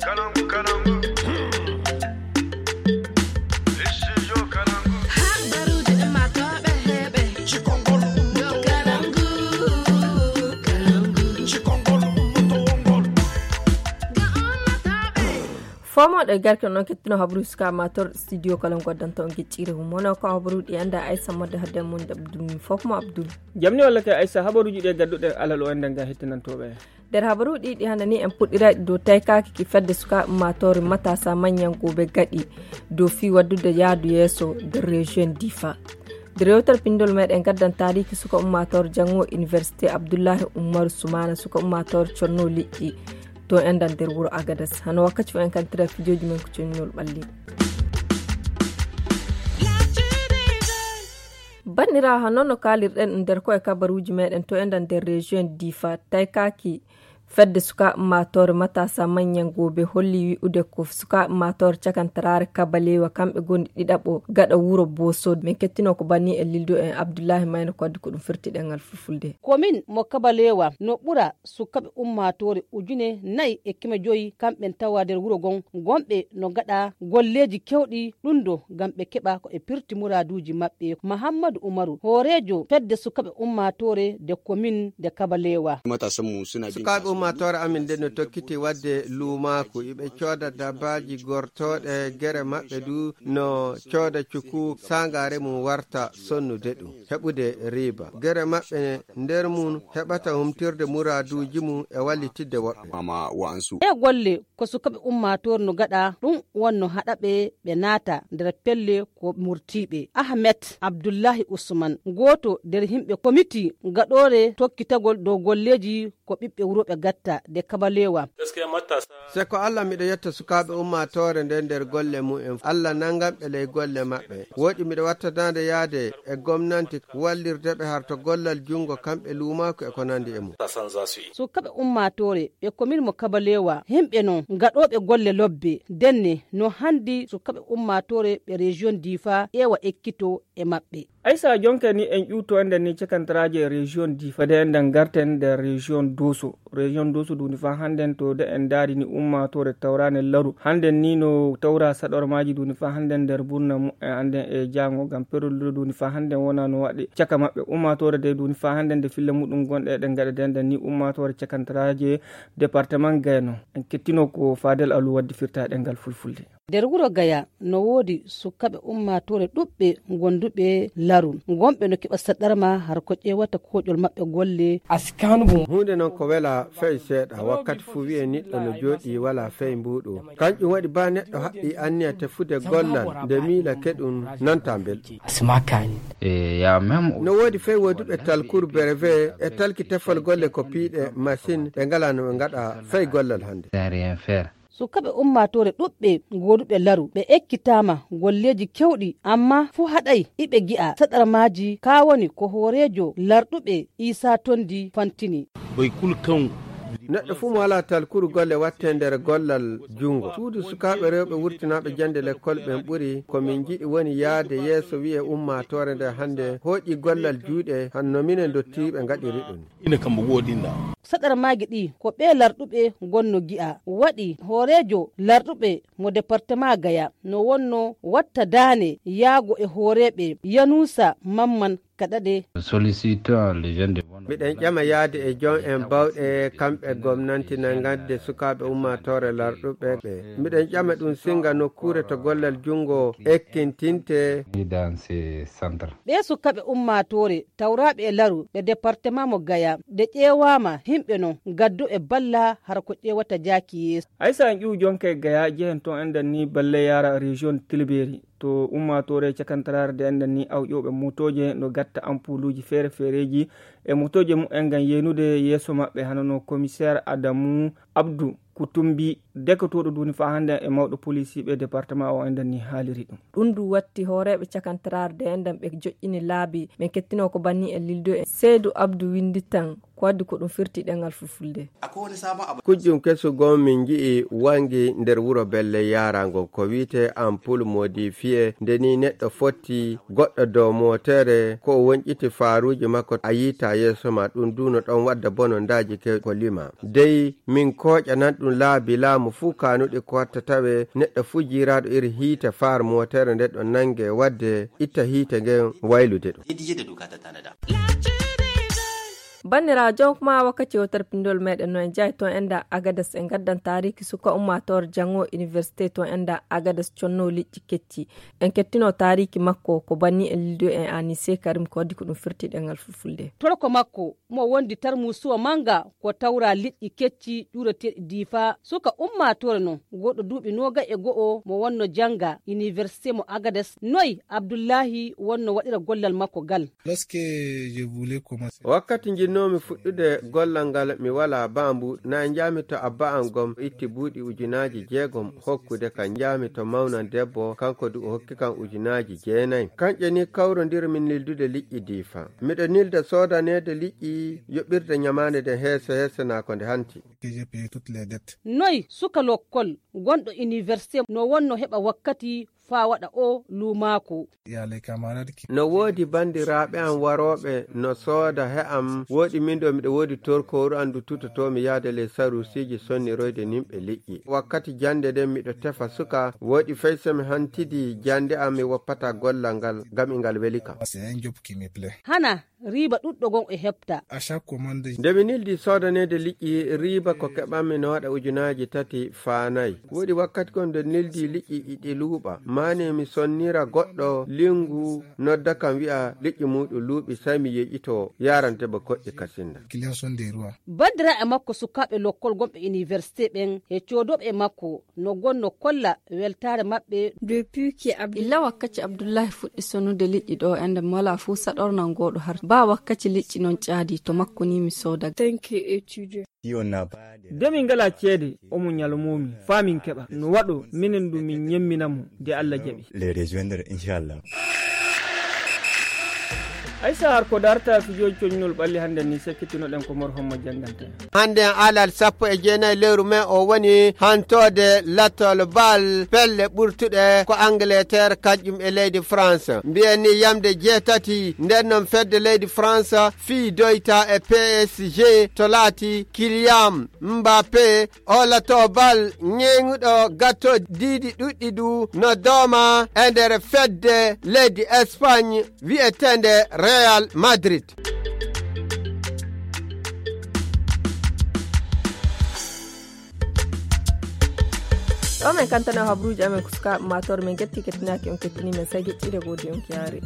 Fomo da garke non kettino habru ska amator studio kalam goddanto on giccire mono ko habru di anda Aisha modde hadde mun dabdum fofmo Abdul jamni walla kay Aisha habaruji de gaddude alal o enden ga hettinantobe der habaru di hanani en puddira do taykaki ki fedde suka amator matasa manyan gobe gadi do fi waddude yaadu yeso de region Difa Directeur Pindol Meden gaddan tariki suka amator jango University Abdullahi Umar Sumana suka amator chorno liɗɗi to endan der wuro Agadas hano wakkati en kan tira fijoji men ko connol balli bandira hanono kalirden der ko e kabaruji meden to endan der region Difa taykaki fedde suka mator matasa manyan gobe holli wi ude ko suka mator cakantarare kabalewa kambe gondi didabo gada wuro boso men kettino ko banni e lildo en Abdullahi mayno ko dum firti dengal fulfulde komin mo kabalewa no bura sukabe ummatore ujune nay e kime joyi kambe tawa der wuro gon gombe no gada golleji kewdi dundo gambe keba ko e pirti muraduji mabbe Muhammadu Umaru horejo fedde sukabe ummatore de komin de kabalewa matasan mu suna bin matore amin de no tokkiti wadde lumaku ibe cooda dabaji gortode gere mabbe du no cooda cuku sangare mum warta sonnude dum hebude riba gere mabbe nder mun hebata humtirde muraduji mum e wallitide wobbe mama wansu e golle ko sukabe ummator no gada dum wonno hadabe be nata der pelle ko murtibe Ahmed Abdullahi Usman goto der himbe komiti gadore tokkitagol do golleji ko bibbe wurobe gatta de kabalewa gaskiya matasa se ko Allah mido yetta sukabe ummatore nder golle mu'en Allah nangam be ley golle mabbe wodi mido wattadande yaade e gomnanti wallirde be harto gollal jungo kambe lumako e ko nandi e mu sukabe ummatore be komin mo kabalewa himbe non gadobe golle lobbe denne no handi sukabe ummatore be region Difa ewa ekkito e mabbe Aisha jonke ni en yuto ende ni cekantraje region Difa de enden garten de region Doso duni fa handen to de en dari ni ummatore tawrane laru handen ni no tawra sador maji duni fa handen der burna mu handen e jango gam perul duni fa handen wona no wadi caka mabbe ummatore de duni fa handen de fille mudum gonde den gade den ni ummatore cekantraje département Gayno en kettino ko Fadel Alu waddi firta dengal fulfulde der wuro Gaya no wodi sukabe ummatore dubbe gondube laru gombe no kiba sadarma har ko ƴewata koƴol mabbe golle askanu hunde non ko wela fey seeda wakkati fu wi'e niddo no jodi wala fey mbudo kanjum wadi ba neddo habbi anniya tefude gollal de mila kedun nanta belti asmakani ya mem no wodi fey wodube talkur breve e talki tefal golle ko piide machine be ngala no ngada fey gollal hande rien faire sukabe ummatore dubbe godube laru be ekkitama golleji kewdi amma fu hadai ibe gi'a sadar maji kawoni ko horejo lardube Isa Tondi Fantini boy kulkan neɗɗo fu mo wala talkuru golle watte nder gollal jungo suudu sukaɓe rewɓe wurtinaɓe jande l'école ɓen ɓuri komin jiɗi woni yaade yeeso wi'e ummatore nde hande hooƴi gollal juuɗe hanno minen dottiɓe gaɗiri ɗum ina kambo woɗinɗa sadar magi ɗi ko ɓe larɗuɓe gonno gi'a waɗi horejo larɗuɓe mo département Gaya no wonno watta dane yaago e horeɓe Yanusa Mamman kadade sollicitant les jeunes de miɗen ƴama yaade e jon en bawɗe kamɓe gomnanti na gadde sukaɓe ummatore larɗuɓe ɓe miɗen ƴama ɗum singa nokkure to gollal jungo ekkintinte dans ces centres ɓe sukaɓe ummatore tawraɓe e laru ɓe département mo Gaya de ƴewama himɓe non gaddo e balla har ko ƴewata jaaki yeeso Aisha en ƴiw jonke Gaya jehen ton enden ni balle yara région Tilberi to ummatore cakantarare de enden ni awƴoɓe motoje no gatta ampuluji feere feereji e motoje mu en gan yenude yeeso mabɓe hanono commissaire Adamu Abdou Kutumbi dekotoɗo duni fa hande e mawɗo police ɓe département o enden ni haaliri ɗum du watti horeɓe cakantarare de enden ɓe joƴƴini laabi min kettino ko banni e lildo e Seydou Abdou winditan ko waddi ko ɗum firti ɗengal fulfulde kujjum kesugon min ji'i wangi nder wuro belle yarango ko wiite ampoule modifié ndeni neɗɗo fotti goɗɗo dow motere ko wonƴiti faaruji makko a yita wonta yeso ma ɗum duno ɗon wadda bonondaji ke ko lima dey min koƴanan ɗum laabi laamu fuu kanuɗe ko watta tawe neɗɗo fuu jiraɗo iri hiite far motere nde ɗon nange wadde itta hiite ngen waylude ɗum bandirajo kuma wakkati wotar pindol meɗen no en jayi ton enda agadas en gaddan tariki suka ummator jango université ton enda agadas conno liƴƴi kecci en kettino tariki makko ko banni en lido en Anise Karim ko waddi ko ɗum firti ɗengal fulfulde torko makko mo wondi tarmusuwa manga ko tawra liƴƴi kecci ƴureteɗi difa suka ummator non goɗɗo duuɓi noga e go'o mo wonno janga université mo agadas noy Abdullahi wonno waɗira gollal makko gal wakkati jinnomi fuɗɗude gollal ngal mi wala bambu na jami to abba am gom itti buuɗi ujunaji 6 hokkude kan jami to mawnan debbo kanko du hokki kan ujunaji 9 kanƴe ni kawrodirmin nildude liƴƴi difa miɗo nilda sodanede liƴƴi yoɓirde nyamande de heese na ko nde hanti noy suka lokkol gonɗo université no wonno heɓa wakkati fa waɗa o lumako no woodi bandiraɓe am waroɓe no sooda he am woodi min ɗo miɗo woodi torkoru andu tutotomi yaade les sarusiji sonniroyde nimɓe liƴƴi wakkati jande nden miɗo tefa suka woodi feysemi hantidi jande am mi woppata gollal ngal gam ingal weli kam hana riba ɗuɗɗo gon e heɓta nde mi nildi sodanede liƴƴi riba ko keɓanmi no waɗa ujunaji 3 faanayi woodi wakkati kon nde nildi liƴƴi iɗi luuɓa mane mi sonnira goɗɗo lingu nodda kam wi'a liƴƴi muɗum luuɓi sai mi yeƴito yarante ba koɗɗi kasinda bandira e makko sukaɓe lokkol gomɓe université ɓen e codoɓe e makko no gonno kolla weltare maɓɓe depuis ki illa wakkati Abdullahi fuɗɗi sonude liƴƴi ɗo ende mala fu saɗornan goɗo har ba wakkati liƴƴi non caadi to makko ni mi soda demin ngala ceede omo nyalmomi famin keɓa no waɗo minen ɗum min nyemminamo de Allah jaɓi les rejoindre inchallah aysa har ko darta fijoji coñnol ɓalli hande ni sekkitinoɗen ko mor hommo jangante hande alal 19 lewru mai o woni hantode latol bal pelle ɓurtuɗe ko Angleterre kaƴƴum e leydi France mbiyeni yamde 8 nden noon fedde leydi France fi doyta e PSG to laati Kylian Mbappé o lato bal ñeŋuɗo gatto diidi ɗuɗɗi du no dooma e nder fedde leydi Espagne wi'etende Real Madrid. o men kantana habruji amen kuska mator men getti kettinaki on kettini men sai geccide godi on kiare